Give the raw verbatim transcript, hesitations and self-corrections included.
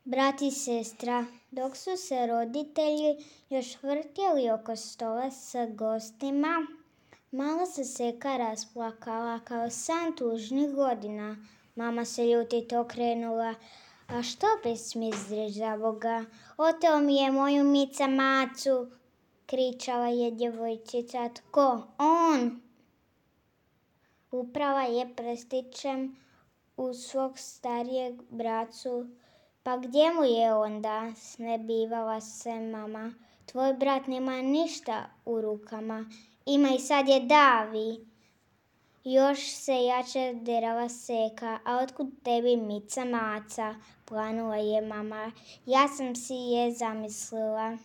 brat i sestra. Dok su se roditelji još vrtjeli oko stola sa gostima, mala se Seka rasplakala kao san tužnih godina. Mama se ljutito okrenula. A što besmisliš, za Boga? Oteo mi je moju Mica Macu, kričala je djevojčica. Tko? On! Uprava je prstićem u svog starijeg bracu. Pa gdje mu je onda? Snebivala se mama. Tvoj brat nema ništa u rukama. Ima i sad je davi. Još se jače derala Seka. A otkud tebi Mica Maca? Planula je mama. Ja sam si je zamislila.